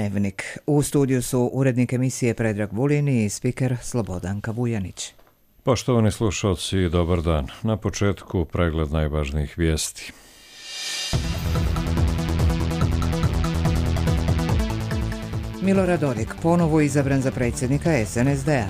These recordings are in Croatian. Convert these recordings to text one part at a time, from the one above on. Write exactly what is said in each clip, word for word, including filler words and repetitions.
Dnevnik. U studiju su urednik emisije Predrag Vulin i spiker Slobodanka Vujanić. Poštovani slušalci, dobar dan. Na početku pregled najvažnijih vijesti. Milorad Dodik ponovo izabran za predsjednika es en es de a.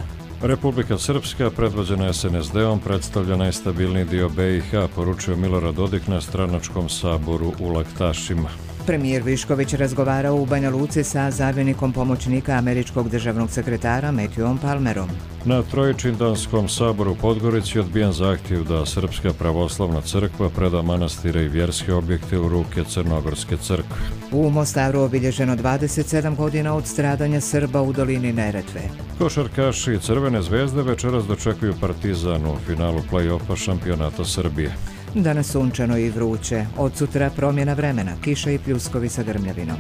Republika Srpska, predvođena es en es de om, predstavlja najstabilniji dio be i ha, poručio Milorad Dodik na stranačkom saboru u Laktašima. Premijer Višković razgovarao u Banja Luci sa zamjenikom pomoćnika američkog državnog sekretara Matthewom Palmerom. Na Trojičindanskom saboru u Podgorici odbijen zahtjev da Srpska pravoslavna crkva preda manastire i vjerske objekte u ruke Crnogorske crkve. U Mostaru obilježeno dvadeset sedam godina od stradanja Srba u dolini Neretve. Košarkaši Crvene zvezde večeras dočekuju Partizan u finalu play-offa šampionata Srbije. Danas sunčano i vruće, od sutra promjena vremena, kiša i pljuskovi sa grmljavinom.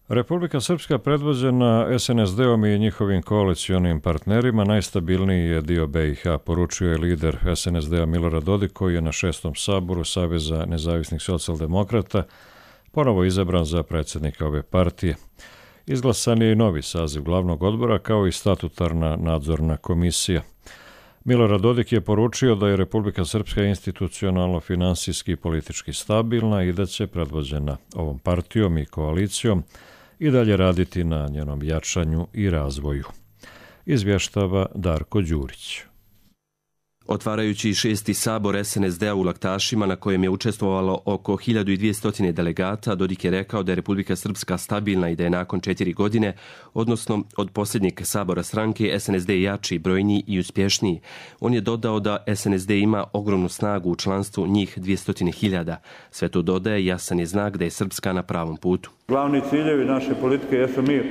Republika Srpska, predvođena es en es de om i njihovim koalicionim partnerima, najstabilniji je dio be i ha, poručio je lider es en es de a Milorad Dodik, koji je na šestom saboru Saveza nezavisnih socijaldemokrata ponovo izabran za predsjednika ove partije. Izglasan je i novi saziv glavnog odbora kao i statutarna nadzorna komisija. Milorad Dodik je poručio da je Republika Srpska institucionalno, finansijski i politički stabilna i da će, predvođena ovom partijom i koalicijom, i dalje raditi na njenom jačanju i razvoju. Izvještava Darko Đurić. Otvarajući šesti sabor es en es de a u Laktašima, na kojem je učestvovalo oko hiljadu dvjesto delegata, Dodik je rekao da je Republika Srpska stabilna i da je nakon četiri godine, odnosno od posljednjeg sabora stranke, es en es de jači, brojniji i uspješniji. On je dodao da es en es de ima ogromnu snagu u članstvu, njih dvjesto hiljada. Sve to dodaje, jasan je znak da je Srpska na pravom putu. Glavni ciljevi naše politike jesu mir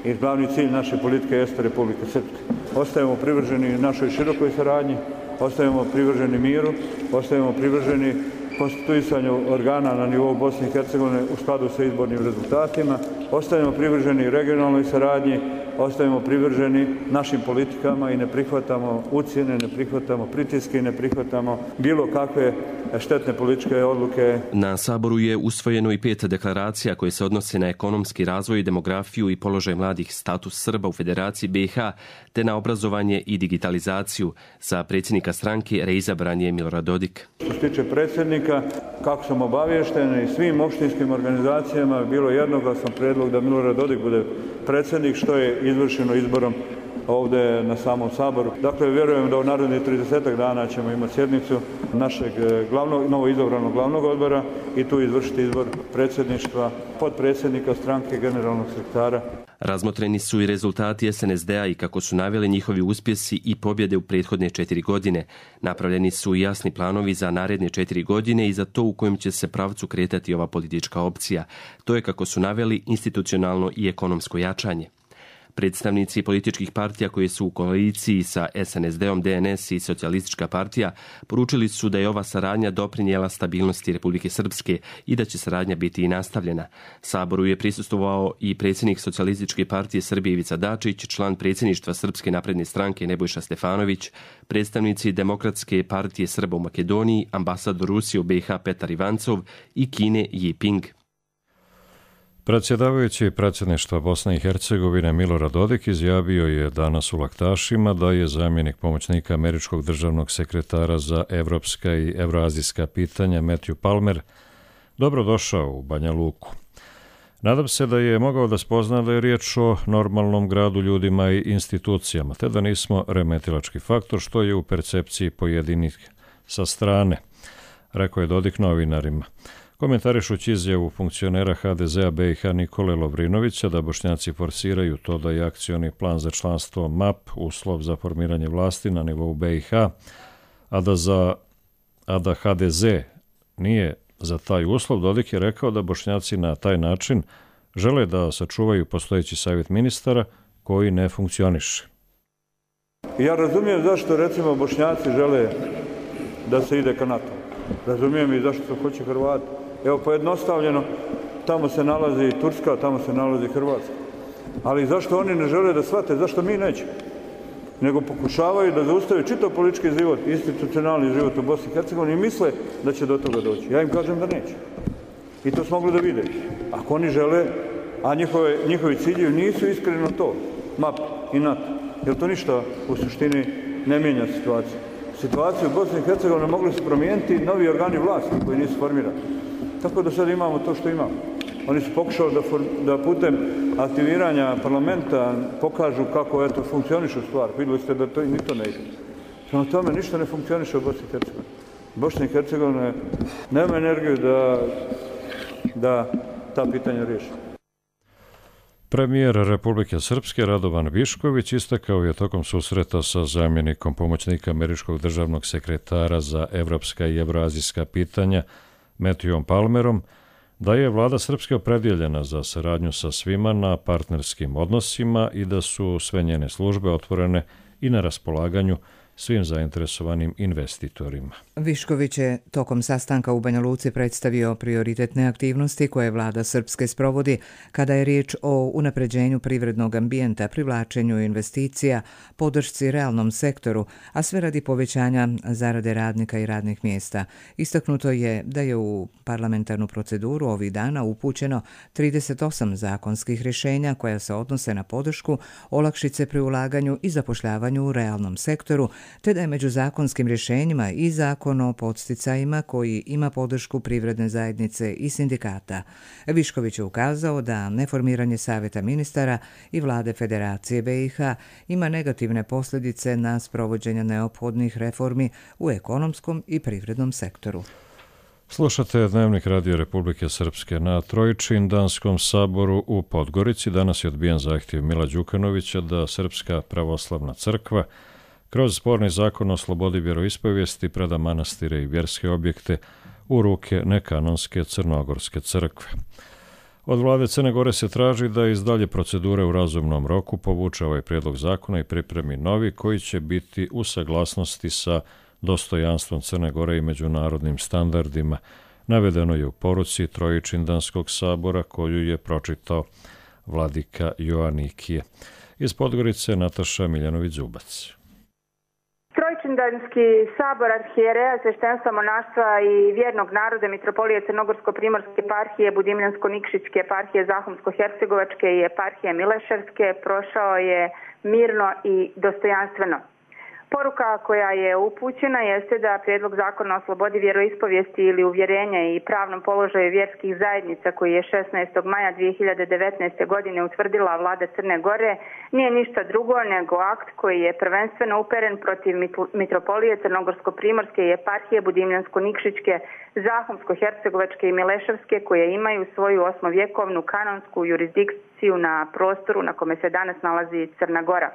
i glavni cilj naše politike jeste Republika Srpska. Ostajemo privrženi našoj širokoj saradnji, ostajemo privrženi miru, ostajemo privrženi konstituisanju organa na nivou Bosne i Hercegovine u skladu sa izbornim rezultatima, ostajemo privrženi regionalnoj saradnji, ostajemo privrženi našim politikama i ne prihvatamo ucjene, ne prihvatamo pritiske i ne prihvatamo bilo kakve štetne političke odluke. Na saboru je usvojeno i pet deklaracija koje se odnose na ekonomski razvoj, demografiju i položaj mladih, status Srba u Federaciji be i ha, te na obrazovanje i digitalizaciju. Za predsjednika stranke reizabran je Milorad Dodik. Što se tiče predsjednika, kako sam obaviješten i svim opštinskim organizacijama, bilo jednoglasan prijedlog da Milorad Dodik bude predsjednik, što je izvršeno izborom ovdje na samom saboru. Dakle, vjerujem da u narednih trideset dana ćemo imati sjednicu našeg glavnog, novo izabranog glavnog odbora i tu izvršiti izbor predsjedništva, potpredsjednika stranke, generalnog sekretara. Razmotreni su i rezultati es en es de a i kako su naveli njihovi uspjesi i pobjede u prethodne četiri godine. Napravljeni su i jasni planovi za naredne četiri godine i za to u kojem će se pravcu kretati ova politička opcija. To je, kako su naveli, institucionalno i ekonomsko jačanje. Predstavnici političkih partija koje su u koaliciji sa es en es de om, de en es i Socijalistička partija poručili su da je ova saradnja doprinijela stabilnosti Republike Srpske i da će saradnja biti i nastavljena. Saboru je prisustvovao i predsjednik Socijalističke partije Srbije Ivica Dačić, član predsjedništva Srpske napredne stranke Nebojša Stefanović, predstavnici Demokratske partije Srba u Makedoniji, ambasador Rusije u be i ha Petar Ivancov i Kine Ji Ping. Predsjedavajući predsjedništva Bosne i Hercegovine Milorad Dodik izjavio je danas u Laktašima da je zamjenik pomoćnika američkog državnog sekretara za evropska i evroazijska pitanja Matthew Palmer dobrodošao u Banja Luku. Nadam se da je mogao da spozna da je riječ o normalnom gradu, ljudima i institucijama, te da nismo remetilački faktor, što je u percepciji pojedinih sa strane, rekao je Dodik novinarima. Komentarišući izjavu funkcionera ha de ze a be i ha Nikole Lovrinovića da Bošnjaci forsiraju to da je akcioni plan za članstvo map uslov za formiranje vlasti na nivou be i ha, a da, za, a da ha de ze nije za taj uslov, Dodik je rekao da Bošnjaci na taj način žele da sačuvaju postojeći savjet ministara koji ne funkcioniše. Ja razumijem zašto, recimo, Bošnjaci žele da se ide ka NATO. Razumijem i zašto se hoće Hrvati. Evo, pojednostavljeno, tamo se nalazi Turska, tamo se nalazi Hrvatska. Ali zašto oni ne žele da shvate, zašto mi nećemo? nego pokušavaju da zaustave čitav politički život, institucionalni život u Bosni i Hercegovini i misle da će do toga doći. Ja im kažem da neće. I to smo mogli da vide. Ako oni žele, a njihove, njihovi ciljevi nisu iskreno to, M A P i NATO, jer to ništa u suštini ne mijenja situaciju. Situaciju u Bosni i Hercegovini mogli su promijeniti novi organi vlasti koji nisu formirani. Tako da sad imamo to što imamo. Oni su pokušali da, da putem aktiviranja parlamenta pokažu kako eto, funkcioniše stvar. Vidjeli ste da to i ni to ne ide. Prema tome ništa ne funkcioniše u Bosni i Hercegovini. Bosna i Hercegovina nema energiju da, da ta pitanja riješi. Premijer Republike Srpske Radovan Višković istakao je tokom susreta sa zamjenikom pomoćnika američkog državnog sekretara za evropska i evroazijska pitanja Matthewom Palmerom da je vlada Srpske opredjeljena za saradnju sa svima na partnerskim odnosima i da su sve njene službe otvorene i na raspolaganju svim zainteresovanim investitorima. Višković je tokom sastanka u Banja Luci predstavio prioritetne aktivnosti koje vlada Srpske sprovodi kada je riječ o unapređenju privrednog ambijenta, privlačenju investicija, podršci realnom sektoru, a sve radi povećanja zarade radnika i radnih mjesta. Istaknuto je da je u parlamentarnu proceduru ovih dana upućeno trideset osam zakonskih rješenja koja se odnose na podršku, olakšice pri ulaganju i zapošljavanju u realnom sektoru, te da je među zakonskim rješenjima i zakon o podsticajima koji ima podršku privredne zajednice i sindikata. Višković je ukazao da neformiranje Savjeta ministara i vlade Federacije B i H ima negativne posljedice na sprovođenje neophodnih reformi u ekonomskom i privrednom sektoru. Slušate Dnevnik Radio Republike Srpske. Na Trojičindanskom saboru u Podgorici danas je odbijen zahtjev Mila Đukanovića da Srpska pravoslavna crkva kroz sporni zakon o slobodi vjeroispovijesti preda manastire i vjerske objekte u ruke nekanonske Crnogorske crkve. Od vlade Crne Gore se traži da iz dalje procedure u razumnom roku povuče ovaj prijedlog zakona i pripremi novi koji će biti u saglasnosti sa dostojanstvom Crne Gore i međunarodnim standardima. Navedeno je u poruci Trojičindanskog sabora koju je pročitao vladika Joanikije. Iz Podgorice Nataša Miljanović-Zubac. Trojičindanski sabor arhijereja, sveštenstva, monaštva i vjernog naroda Mitropolije Crnogorsko-primorske eparhije, Budimljansko-Nikšićke eparhije, Zahumsko-hercegovačke i eparhije Mileševske prošao je mirno i dostojanstveno. Poruka koja je upućena jeste da prijedlog zakona o slobodi vjeroispovijesti ili uvjerenja i pravnom položaju vjerskih zajednica koji je šesnaestog maja dvije hiljade devetnaeste. godine utvrdila vlada Crne Gore nije ništa drugo nego akt koji je prvenstveno uperen protiv Mitropolije Crnogorsko-primorske i eparhije Budimljansko-Nikšićke, Zahumsko-hercegovačke i Mileševske koje imaju svoju osmovjekovnu kanonsku jurisdikciju na prostoru na kome se danas nalazi Crna Gora.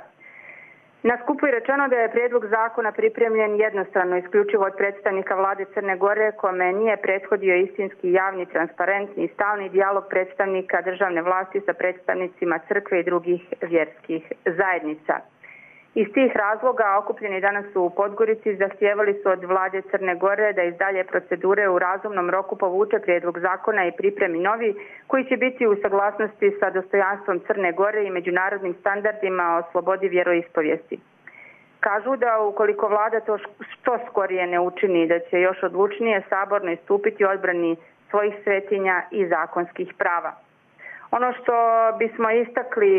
Na skupu je rečeno da je prijedlog zakona pripremljen jednostrano isključivo od predstavnika vlade Crne Gore, kome nije prethodio istinski javni, transparentni i stalni dijalog predstavnika državne vlasti sa predstavnicima crkve i drugih vjerskih zajednica. Iz tih razloga okupljeni danas u Podgorici zahtijevali su od vlade Crne Gore da iz dalje procedure u razumnom roku povuče prijedlog zakona i pripremi novi koji će biti u saglasnosti sa dostojanstvom Crne Gore i međunarodnim standardima o slobodi vjeroispovijesti. Kažu da ukoliko vlada to što skorije ne učini, da će još odlučnije saborno istupiti odbrani svojih svetinja i zakonskih prava. Ono što bismo istakli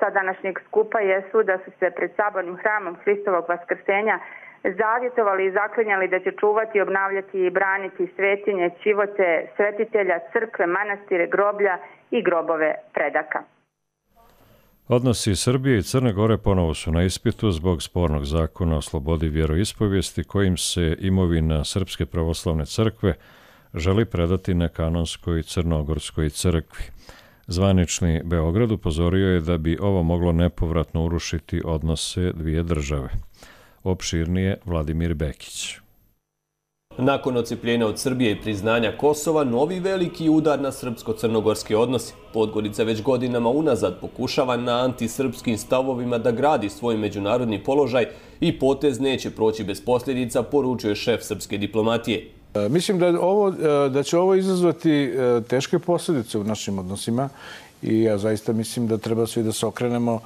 sa današnjeg skupa jesu da su se pred sabornim hramom Hristovog vaskrsenja zavjetovali i zaklinjali da će čuvati, obnavljati i braniti svetinje, ćivote, svetitelja, crkve, manastire, groblja i grobove predaka. Odnosi Srbije i Crne Gore ponovo su na ispitu zbog spornog zakona o slobodi vjeroispovijesti kojim se imovina Srpske pravoslavne crkve želi predati nekanonskoj Crnogorskoj crkvi. Zvanični Beograd upozorio je da bi ovo moglo nepovratno urušiti odnose dvije države. Opširnije Vladimir Bekić. Nakon odcepljenja od Srbije i priznanja Kosova, novi veliki udar na srpsko-crnogorske odnose. Podgorica već godinama unazad pokušava na antisrpskim stavovima da gradi svoj međunarodni položaj i potez neće proći bez posljedica, poručuje šef srpske diplomatije. Mislim da, ovo, da će ovo izazvati teške posljedice u našim odnosima i ja zaista mislim da treba svi da se okrenemo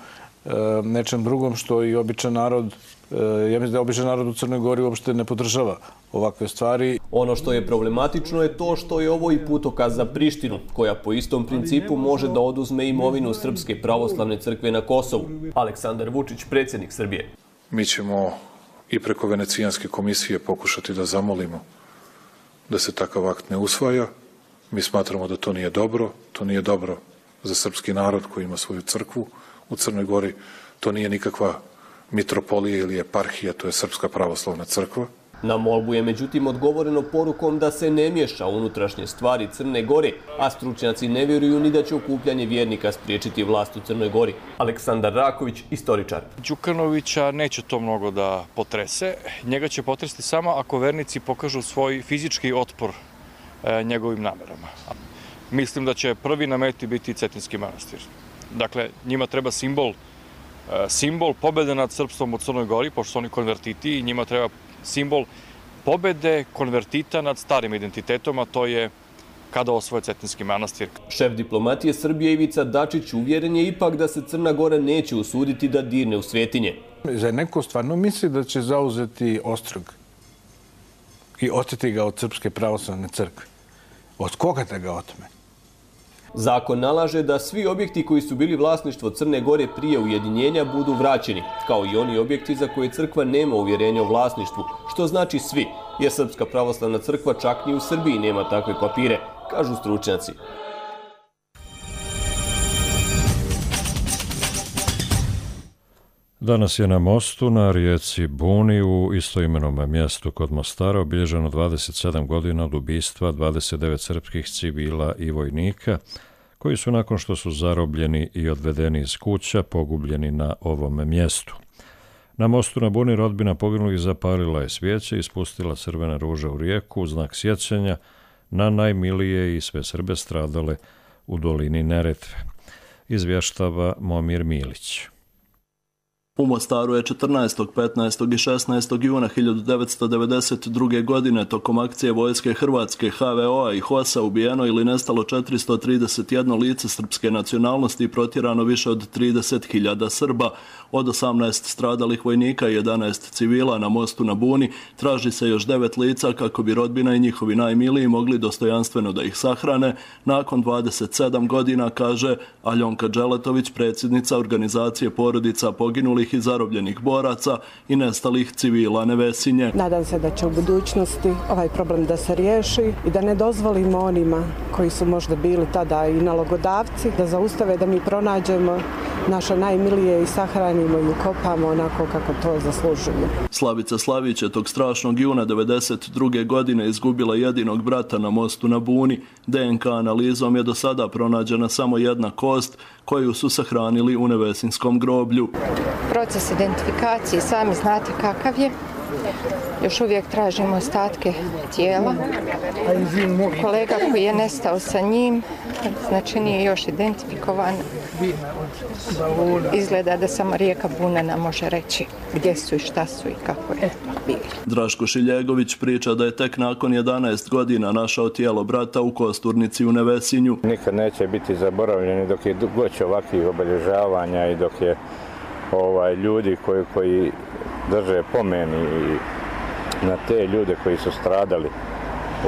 nečem drugom što i običan narod, ja mislim da običan narod u Crnoj Gori uopšte ne podržava ovakve stvari. Ono što je problematično je to što je ovo i putokaz za Prištinu, koja po istom principu može da oduzme imovinu Srpske pravoslavne crkve na Kosovu. Aleksandar Vučić, predsjednik Srbije. Mi ćemo i preko Venecijanske komisije pokušati da zamolimo da se takav akt ne usvaja. Mi smatramo da to nije dobro, to nije dobro za srpski narod koji ima svoju crkvu u Crnoj Gori. To nije nikakva mitropolija ili eparhija, to je Srpska pravoslavna crkva. Na molbu je međutim odgovoreno porukom da se ne miješa unutrašnje stvari Crne Gore, a stručnjaci ne vjeruju ni da će okupljanje vjernika spriječiti vlast u Crnoj Gori. Aleksandar Raković, istoričar. Đukanovića neće to mnogo da potrese. Njega će potresti samo ako vernici pokažu svoj fizički otpor e, njegovim namerama. Mislim da će prvi na meti biti Cetinski manastir. Dakle, njima treba simbol, e, simbol pobjede nad srpstvom u Crnoj Gori, pošto su oni konvertiti, i njima treba simbol pobjede konvertita nad starim identitetom, a to je kada osvoje Cetinski manastir. Šef diplomatije Srbije Ivica Dačić uvjeren je ipak da se Crna Gora neće usuditi da dirne u svetinje. Za neko stvarno misli da će zauzeti Ostrog i oteti ga od Srpske pravoslavne crkve. Od koga da ga otme? Zakon nalaže da svi objekti koji su bili vlasništvo Crne Gore prije ujedinjenja budu vraćeni, kao i oni objekti za koje crkva nema uvjerenja o vlasništvu, što znači svi, jer Srpska pravoslavna crkva čak ni u Srbiji nema takve papire, kažu stručnjaci. Danas je na mostu na rijeci Buni u istoimenom mjestu kod Mostara obilježeno dvadeset sedam godina od ubistva dvadeset devet srpskih civila i vojnika, koji su nakon što su zarobljeni i odvedeni iz kuća pogubljeni na ovom mjestu. Na mostu na Buni rodbina poginulih zapalila je svijeće i spustila crvene ruže u rijeku u znak sjećanja na najmilije i sve Srbe stradale u dolini Neretve. Izvještava Momir Milić. U Mostaru je četrnaestog, petnaestog i šesnaestog juna hiljadu devetsto devedeset druge. godine tokom akcije vojske Hrvatske, H V O-a i H O S-a ubijeno ili nestalo četiristo trideset jedno lice srpske nacionalnosti i protjerano više od trideset hiljada Srba. Od osamnaest stradalih vojnika i jedanaest civila na mostu na Buni traži se još devet lica kako bi rodbina i njihovi najmiliji mogli dostojanstveno da ih sahrane nakon dvadeset sedam godina, kaže Aljonka Dželetović, predsjednica organizacije porodica poginulih i zarobljenih boraca i nestalih civila Nevesinje. Nadam se da će u budućnosti ovaj problem da se riješi i da ne dozvolimo onima koji su možda bili tada i nalogodavci da zaustave da mi pronađemo naše najmilije i sahranimo i ukopamo onako kako to zaslužuju. Slavica Slavić je tog strašnog juna devedeset druge. godine izgubila jedinog brata na mostu na Buni. D N K analizom je do sada pronađena samo jedna kost koju su sahranili u Nevesinskom groblju. Proces identifikacije sami znate kakav je. Još uvijek tražimo ostatke tijela. Kolega koji je nestao sa njim, znači nije još identifikovan. Izgleda da samo rijeka Buna nam može reći gdje su i šta su i kako je bili. Draško Šiljegović priča da je tek nakon jedanaest godina našao tijelo brata u Kosturnici u Nevesinju. Nikad neće biti zaboravljeni dok je goć ovakvih obilježavanja i dok je ovaj, ljudi koji, koji drže pomeni na te ljude koji su stradali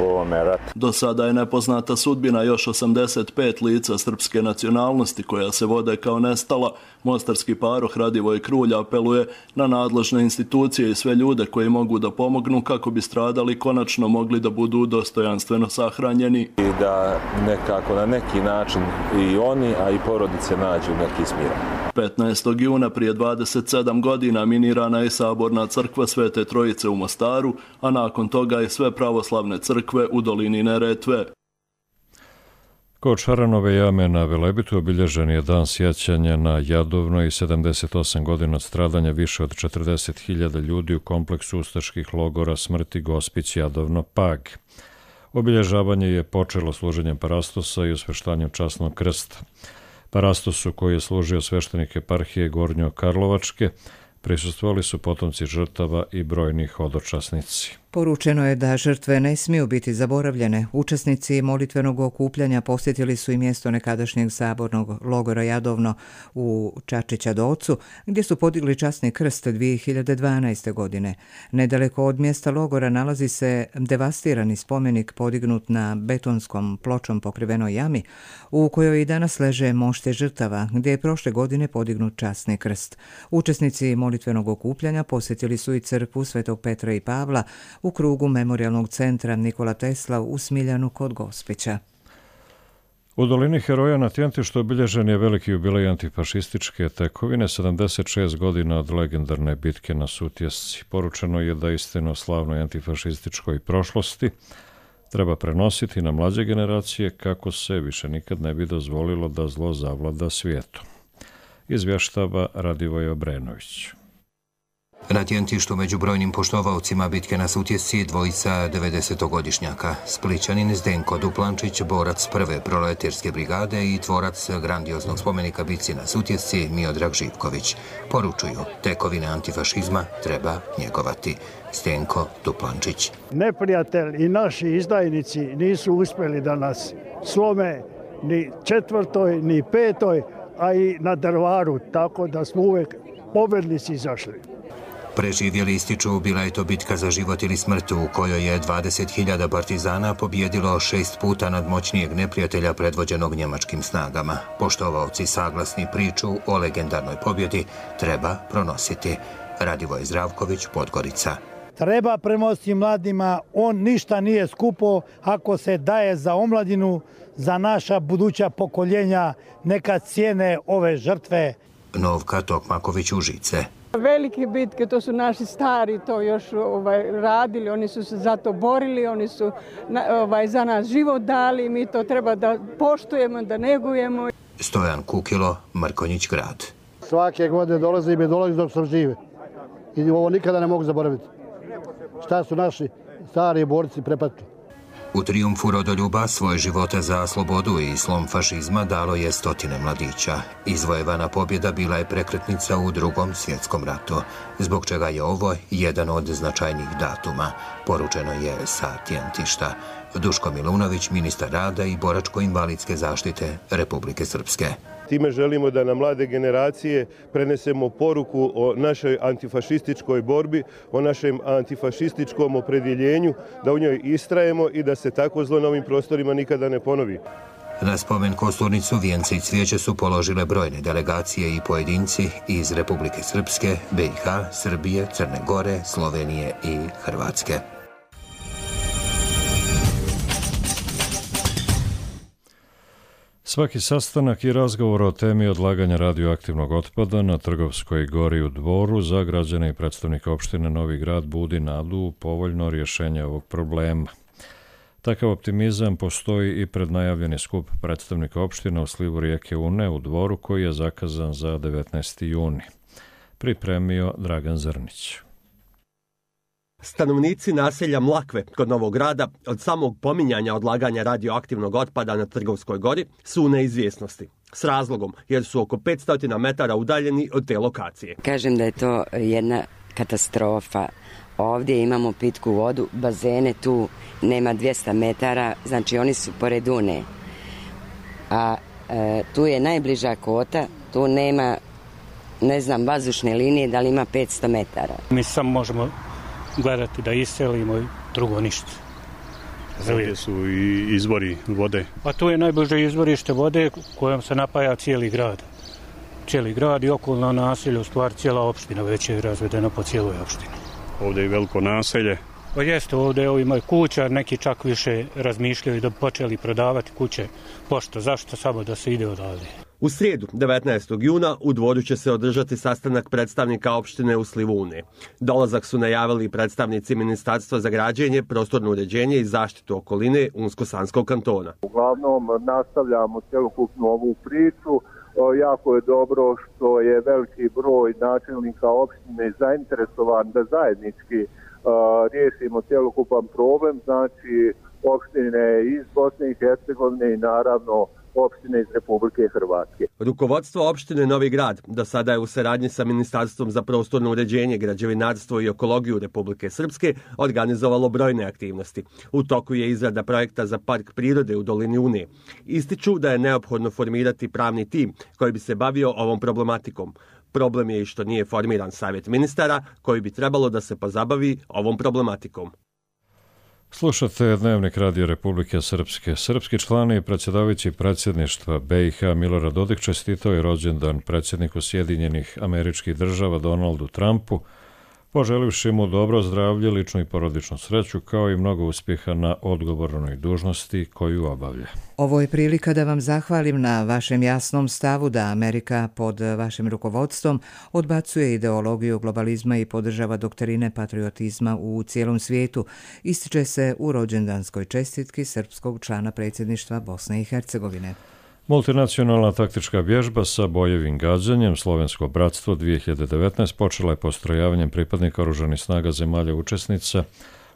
u ovome ratu. Do sada je nepoznata sudbina još osamdeset pet lica srpske nacionalnosti koja se vode kao nestala. Mostarski paroh Radivoj Krulj apeluje na nadležne institucije i sve ljude koji mogu da pomognu kako bi stradali konačno mogli da budu dostojanstveno sahranjeni. I da nekako na neki način i oni, a i porodice nađu neki smir. petnaestog juna prije dvadeset sedam godina minirana je saborna crkva Svete Trojice u Mostaru, a nakon toga i sve pravoslavne crkve u dolini Neretve. Kod Šaranove jame na Velebitu obilježen je dan sjećanja na Jadovno i sedamdeset osam godina od stradanja više od četrdeset hiljada ljudi u kompleksu ustaških logora smrti Gospić, Jadovno, Pag. Obilježavanje je počelo služenjem parastosa i osveštanjem časnog krsta. Parastosu koji je služio sveštenik eparhije Gornjo-Karlovačke Prisustvovali su potomci žrtava i brojni hodočasnici. Poručeno je da žrtve ne smiju biti zaboravljene. Učesnici molitvenog okupljanja posjetili su i mjesto nekadašnjeg sabornog logora Jadovno u Čačića Docu, gdje su podigli časni krst dvije hiljade dvanaeste. godine. Nedaleko od mjesta logora nalazi se devastirani spomenik podignut na betonskom pločom pokrivenoj jami, u kojoj i danas leže mošte žrtava, gdje je prošle godine podignut časni krst. Učesnici molitvenog okupljanja posjetili su i crkvu Svetog Petra i Pavla u krugu Memorijalnog centra Nikola Tesla u Smiljanu kod Gospića. U dolini Heroja na Tjentištu obilježen je veliki jubilej antifašističke tekovine, sedamdeset šest godina od legendarne bitke na Sutjesci. Poručeno je da istinu o slavnoj antifašističkoj prošlosti treba prenositi na mlađe generacije kako se više nikad ne bi dozvolilo da zlo zavlada svijetom. Izvještava Radivoj Obrenović. Na Tjentištu među brojnim poštovaocima bitke na Sutjesci dvojica devedesetogodišnjaka. Splićanin Zdenko Duplančić, borac prve proletarske brigade i tvorac grandioznog spomenika bitci na Sutjesci Miodrag Živković. Poručuju, tekovine antifašizma treba njegovati. Zdenko Duplančić. Neprijatelj i naši izdajnici nisu uspjeli da nas slome ni četvrtoj, ni petoj, a i na Drvaru, tako da smo uvijek pobjednici izašli. Preživjeli ističu, bila je to bitka za život ili smrt u kojoj je dvadeset hiljada partizana pobjedilo šest puta nadmoćnijeg neprijatelja predvođenog njemačkim snagama. Poštovaoci saglasni priču o legendarnoj pobjedi treba pronositi. Radivoj Zdravković, Podgorica. Treba prenositi mladima, on ništa nije skupo ako se daje za omladinu, za naša buduća pokoljenja, neka cijene ove žrtve. Novka Tokmaković, Užice. Velike bitke, to su naši stari to još ovaj, radili, oni su se za to borili, oni su ovaj, za nas život dali, mi to treba da poštujemo, da negujemo. Stojan Kukilo, Mrkonjić grad. Svake godine dolazi i mi dolazi dok sam žive. I ovo nikada ne mogu zaboraviti. Šta su naši stari borci prepatili. U trijumfu rodoljuba svoje živote za slobodu i slom fašizma dalo je stotine mladića. Izvojevana pobjeda bila je prekretnica u Drugom svjetskom ratu, zbog čega je ovo jedan od značajnijih datuma, poručeno je sa Tjentišta. Duško Milunović, ministar rada i boračko-invalidske zaštite Republike Srpske. Time želimo da na mlade generacije prenesemo poruku o našoj antifašističkoj borbi, o našem antifašističkom opredjeljenju, da u njoj istrajemo i da se tako zlo na ovim prostorima nikada ne ponovi. Na spomen kosturnicu vijence i cvijeće su položile brojne delegacije i pojedinci iz Republike Srpske, B i H, Srbije, Crne Gore, Slovenije i Hrvatske. Svaki sastanak i razgovor o temi odlaganja radioaktivnog otpada na Trgovskoj gori u Dvoru za građane i predstavnike opštine Novi Grad budi nadu u povoljno rješenje ovog problema. Takav optimizam postoji i pred najavljeni skup predstavnika opštine u slivu rijeke Une u Dvoru koji je zakazan za devetnaesti juni. Pripremio Dragan Zrnić. Stanovnici naselja Mlakve kod Novog Grada od samog pominjanja odlaganja radioaktivnog otpada na Trgovskoj gori su u neizvjesnosti. S razlogom, jer su oko petsto metara udaljeni od te lokacije. Kažem da je to jedna katastrofa. Ovdje imamo pitku vodu, bazene tu nema dvjesto metara, znači oni su pored Une. A e, tu je najbliža kota, tu nema, ne znam, vazdušne linije, da li ima petsto metara. Mi samo možemo gledati da iselimo i drugo ništa. Ovdje su i izvori vode. A tu je najbliže izvorište vode kojom se napaja cijeli grad. Cijeli grad i okolna naselja, u stvari cijela opština već je razvedena po cijeloj opštini. Ovdje je veliko naselje. Pa jeste, ovdje ovi imaju kuća, neki čak više razmišljaju da bi počeli prodavati kuće. Pošto, zašto samo da se ide odavde? U srijedu, devetnaestog juna, u Dvoru će se održati sastanak predstavnika opštine u slivu Une. Dolazak su najavili predstavnici Ministarstva za građenje, prostorno uređenje i zaštitu okoline Unsko-Sanskog kantona. Uglavnom nastavljamo cjelokupnu ovu priču. Jako je dobro što je veliki broj načelnika opštine zainteresovan da zajednički uh, riješimo cjelokupan problem, znači opštine iz Bosne i Hercegovine i naravno opštine iz Republike Hrvatske. Rukovodstvo opštine Novi Grad do sada je u saradnji sa Ministarstvom za prostorno uređenje, građevinarstvo i ekologiju Republike Srpske organizovalo brojne aktivnosti. U toku je izrada projekta za park prirode u dolini Une. Ističu da je neophodno formirati pravni tim koji bi se bavio ovom problematikom. Problem je i što nije formiran savjet ministara koji bi trebalo da se pozabavi ovom problematikom. Slušate Dnevnik Radio Republike Srpske. Srpski član i predsjedavajući predsjedništva B i H Milorad Dodik čestitao je rođendan predsjedniku Sjedinjenih Američkih Država Donaldu Trumpu, poželivši mu dobro zdravlje, ličnu i porodičnu sreću, kao i mnogo uspjeha na odgovornoj dužnosti koju obavlja. Ovo je prilika da vam zahvalim na vašem jasnom stavu da Amerika pod vašim rukovodstvom odbacuje ideologiju globalizma i podržava doktrine patriotizma u cijelom svijetu, ističe se u rođendanskoj čestitki srpskog člana predsjedništva Bosne i Hercegovine. Multinacionalna taktička vježba sa bojevim gađanjem Slovensko bratstvo dvije hiljade devetnaeste počela je postrojavanjem pripadnika oružanih snaga zemalja učesnica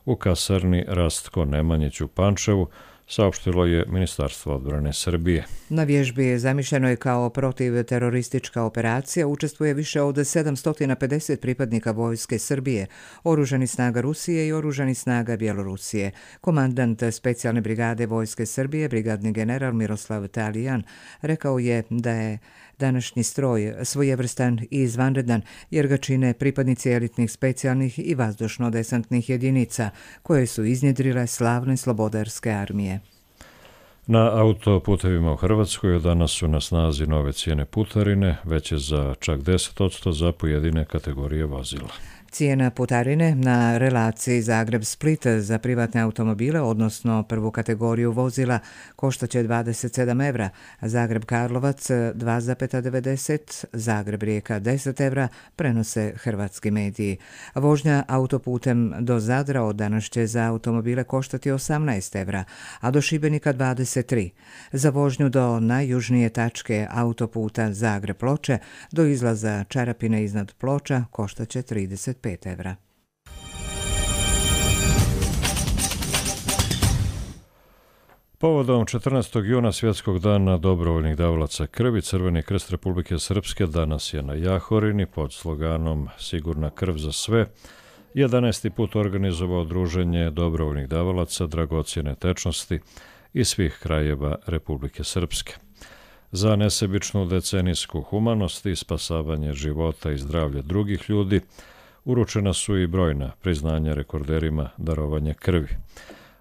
u kasarni Rastko Nemanjić u Pančevu, saopštilo je Ministarstvo odbrane Srbije. Na vježbi je zamišljeno je kao protivteroristička operacija, učestvuje više od sedamsto pedeset pripadnika vojske Srbije, oružanih snaga Rusije i oružanih snaga Bjelorusije. Komandant specijalne brigade vojske Srbije, brigadni general Miroslav Talijan, rekao je da je današnji stroj svojevrstan i izvanredan jer ga čine pripadnici elitnih specijalnih i vazdušno-desantnih jedinica koje su iznjedrile slavne slobodarske armije. Na autoputevima u Hrvatskoj od danas su na snazi nove cijene putarine, veće za čak deset posto za pojedine kategorije vozila. Cijena putarine na relaciji Zagreb-Split za privatne automobile, odnosno prvu kategoriju vozila, koštaće dvadeset sedam evra, Zagreb-Karlovac dva zarez devedeset, Zagreb-Rijeka deset evra, prenose hrvatski mediji. Vožnja autoputem do Zadra od danas će za automobile koštati osamnaest evra, a do Šibenika dvadeset tri. Za vožnju do najjužnije tačke autoputa Zagreb-Ploče do izlaza Čarapine iznad Ploča koštaće trideset pet evra. Povodom četrnaestog juna svjetskog dana dobrovoljnih davalaca krvi, Crveni krst Republike Srpske danas je na Jahorini pod sloganom Sigurna krv za sve jedanaesti put organizovao druženje dobrovoljnih davalaca dragocjene tečnosti iz svih krajeva Republike Srpske. Za nesebičnu decenijsku humanost i spasavanje života i zdravlja drugih ljudi uručena su i brojna priznanja rekorderima darovanja krvi.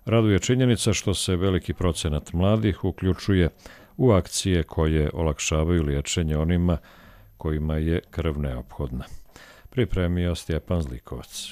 Raduje činjenica što se veliki procenat mladih uključuje u akcije koje olakšavaju liječenje onima kojima je krv neophodna. Pripremio Stjepan Zlikovac.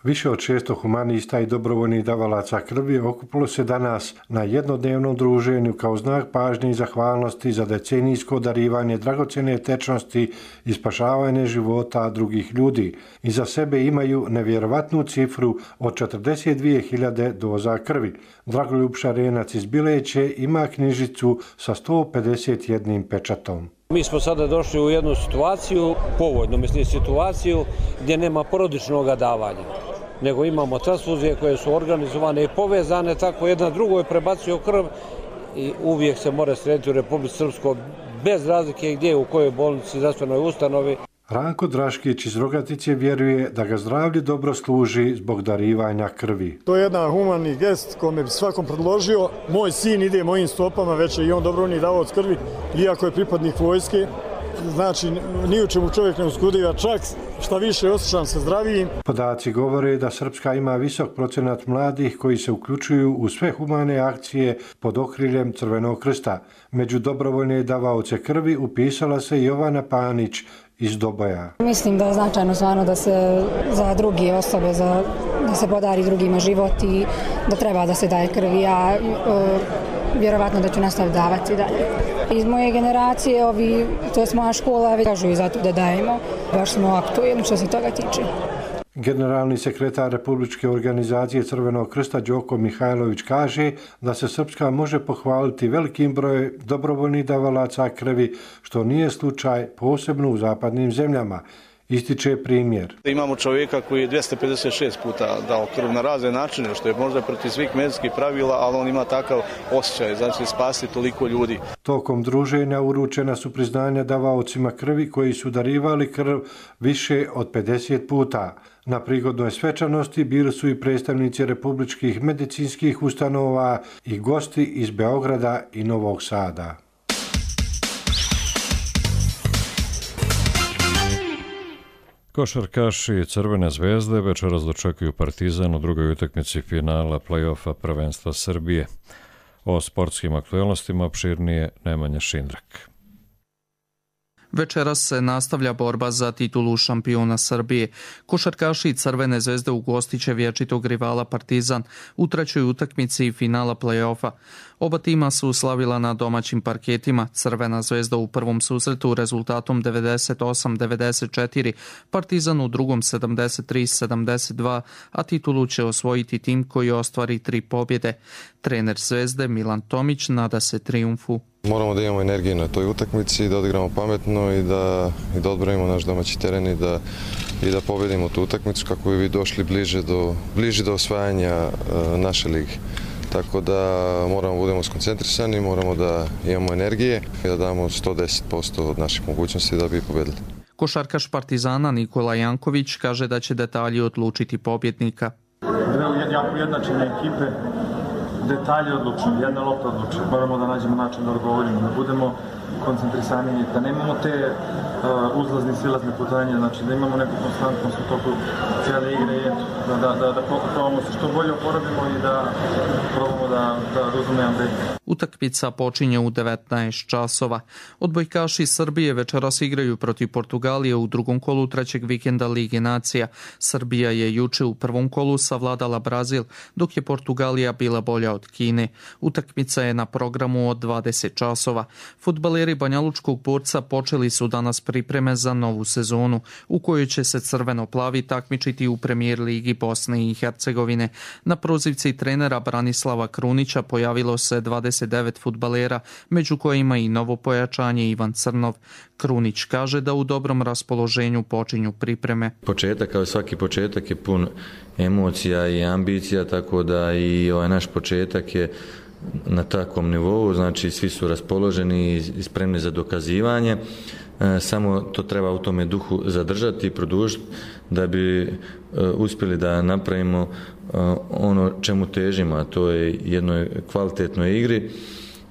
Više od šesto humanista i dobrovoljnih davalaca krvi okupilo se danas na jednodnevnom druženju kao znak pažnje i zahvalnosti za decenijsko darivanje dragocjene tečnosti i spašavanje života drugih ljudi. Iza sebe imaju nevjerovatnu cifru od četrdeset dvije hiljade doza krvi. Dragoljub Šarenac iz Bileće ima knjižicu sa sto pedeset jednim pečatom. Mi smo sada došli u jednu situaciju, povoljnu mislim situaciju, gdje nema porodičnog davanja, nego imamo transfuzije koje su organizovane i povezane, tako jedna drugoj prebacuju krv i uvijek se mora srediti u Republici Srpskoj bez razlike gdje, u kojoj bolnici, zdravstvenoj ustanovi. Ranko Draškić iz Rogatice vjeruje da ga zdravlje dobro služi zbog darivanja krvi. To je jedan humani gest kome bi svakom predložio. Moj sin ide mojim stopama, već je i on dobrovoljni davalac krvi, iako je pripadnik vojske. Znači, ni u čemu čovjek ne uskudiva, čak šta više osjećam se zdravijim. Podaci govore da Srpska ima visok procenat mladih koji se uključuju u sve humane akcije pod okriljem Crvenog krsta. Među dobrovoljne davaoce krvi upisala se Jovana Panić iz Doboja. Mislim da je značajno stvarno da se za druge osobe, za, da se podari drugima život i da treba da se daje krvi. Ja e, vjerovatno da ću nastaviti davati dalje. Iz moje generacije, ovi, to je moja škola, kažu i zato da dajemo. Baš smo aktuelni što se toga tiče. Generalni sekretar Republičke organizacije Crvenog krsta Đoko Mihajlović kaže da se Srpska može pohvaliti velikim brojem dobrovoljnih davalaca krvi, što nije slučaj posebno u zapadnim zemljama. Ističe primjer. Imamo čovjeka koji je dvjesto pedeset šest puta dao krv na razne načine, što je možda protiv svih medicinskih pravila, ali on ima takav osjećaj, znači spasti toliko ljudi. Tokom druženja uručena su priznanja davaocima krvi koji su darivali krv više od pedeset puta. Na prigodnoj svečanosti bili su i predstavnici republičkih medicinskih ustanova i gosti iz Beograda i Novog Sada. Košarkaši Crvene zvezde večeras dočekuju Partizan u drugoj utakmici finala play-offa prvenstva Srbije. O sportskim aktualnostima opširnije Nemanja Šindrak. Večeras se nastavlja borba za titulu šampiona Srbije. Košarkaši Crvene zvezde ugostit će vječitog rivala Partizan u trećoj utakmici finala play-offa. Oba tima su slavila na domaćim parketima. Crvena zvezda u prvom susretu rezultatom devedeset osam devedeset četiri, Partizan u drugom sedamdeset tri sedamdeset dva, a titulu će osvojiti tim koji ostvari tri pobjede. Trener Zvezde Milan Tomić nada se trijumfu. Moramo da imamo energije na toj utakmici, da odigramo pametno i da, i da odbranimo naš domaći teren i da, i da pobedimo tu utakmicu kako bi došli bliže do, bliže do osvajanja uh, naše lige. Tako da moramo da budemo skoncentrisani, moramo da imamo energije i da damo sto deset posto od naših mogućnosti da bi pobedili. Košarkaš Partizana Nikola Janković kaže da će detalji odlučiti pobjednika. Dve jako ujednačene ekipe, detalji odlučuju, jedna lopta odlučuje. Moramo da nađemo način da odgovorimo, da budemo koncentrisani, da nemamo te uh, uzlazne, silazne putanje, znači da imamo neku konstantnost u toku cijele igre i da, da, da, da probamo se što bolje oporavimo i da probamo da, da razumijemo da igra. Utakmica počinje u devetnaest časova. Odbojkaši Srbije večeras igraju protiv Portugalije u drugom kolu trećeg vikenda Lige nacija. Srbija je juče u prvom kolu savladala Brazil, dok je Portugalija bila bolja od Kine. Utakmica je na programu od dvadeset časova. Fudbaleri Banjalučkog Borca počeli su danas pripreme za novu sezonu, u kojoj će se crveno-plavi takmičiti u Premijer ligi Bosne i Hercegovine. Na prozivci trenera Branislava Krunića pojavilo se dvadeset devet fudbalera, među kojima i novo pojačanje Ivan Crnov. Krunić kaže da u dobrom raspoloženju počinju pripreme. Početak, kao svaki početak, je pun emocija i ambicija, tako da i ovaj naš početak je na takvom nivou, znači svi su raspoloženi i spremni za dokazivanje. Samo to treba u tome duhu zadržati i produžiti da bi uspjeli da napravimo ono čemu težimo, a to je jednoj kvalitetnoj igri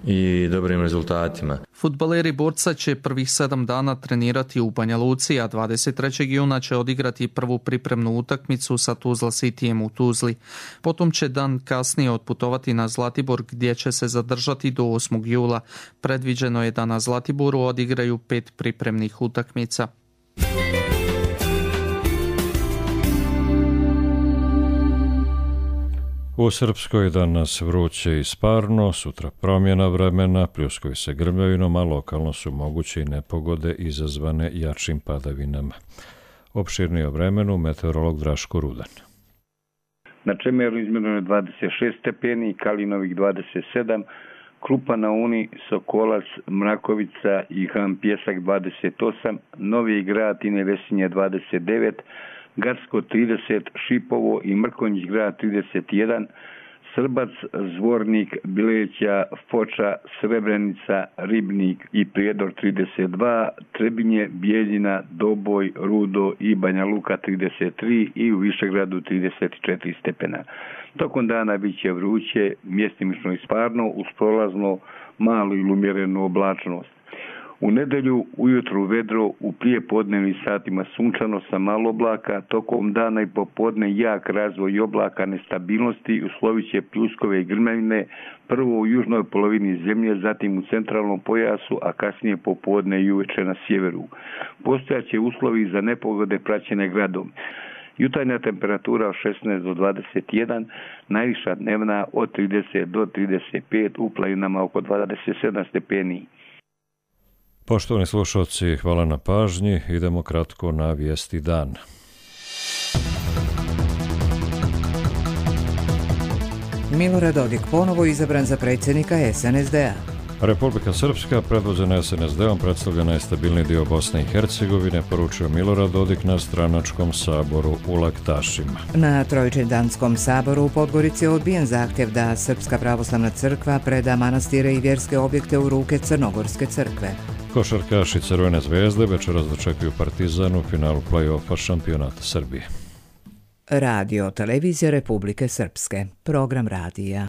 i dobrim rezultatima. Fudbaleri Borca će prvih sedam dana trenirati u Banja Luci, a dvadeset trećeg juna će odigrati prvu pripremnu utakmicu sa Tuzla Cityjem u Tuzli. Potom će dan kasnije otputovati na Zlatibor, gdje će se zadržati do osmog jula. Predviđeno je da na Zlatiboru odigraju pet pripremnih utakmica. U Srpskoj danas vruće i sparno, sutra promjena vremena, pljuskovi se grmljavinom, a lokalno su moguće i nepogode izazvane jačim padavinama. Opširnije o vremenu meteorolog Draško Rudan. Na Čemeru izmjereno je dvadeset šest stepeni, Kalinovih dvadeset sedam, Krupa na Uni, Sokolac, Mrakovica i Han Pjesak dvadeset osam, Novi Grad i Nevesinje dvadeset devet, Garsko trideset, Šipovo i Mrkonjić grad trideset jedan, Srbac, Zvornik, Bileća, Foča, Srebrenica, Ribnik i Prijedor trideset dva, Trebinje, Bijeljina, Doboj, Rudo i Banja Luka trideset tri i u Višegradu trideset četiri stepena. Tokom dana bit će vruće, mjestimično i sparno, uz prolazno malu ili umjerenu oblačnost. U nedelju ujutru vedro, u prijepodnevnim satima sunčano sa malo oblaka, tokom dana i popodne jak razvoj oblaka nestabilnosti, uslovit će pljuskove i grmljavine, prvo u južnoj polovini zemlje, zatim u centralnom pojasu, a kasnije popodne i uveče na sjeveru. Postojaće uslovi za nepogode praćene gradom. Jutarnja temperatura od šesnaest do dvadeset jedan, najviša dnevna od trideset do trideset pet, u planinama oko dvadeset sedam stepeni. Poštovani slušalci, hvala na pažnji. Idemo kratko na vijesti dana. Milorad Dodik ponovo izabran za predsjednika S N S D-a. Republika Srpska, predvođena es en es de-om, predstavlja najstabilniji dio Bosne i Hercegovine, poručio Milorad Dodik na stranačkom saboru u Laktašima. Na Trojičedanskom saboru u Podgorici je odbijen zahtjev da Srpska pravoslavna crkva preda manastire i vjerske objekte u ruke Crnogorske crkve. Košarkaši Crvene zvezde večeras dočekuju Partizan u finalu play-offa šampionata Srbije. Radio Televizija Republike Srpske. Program radija.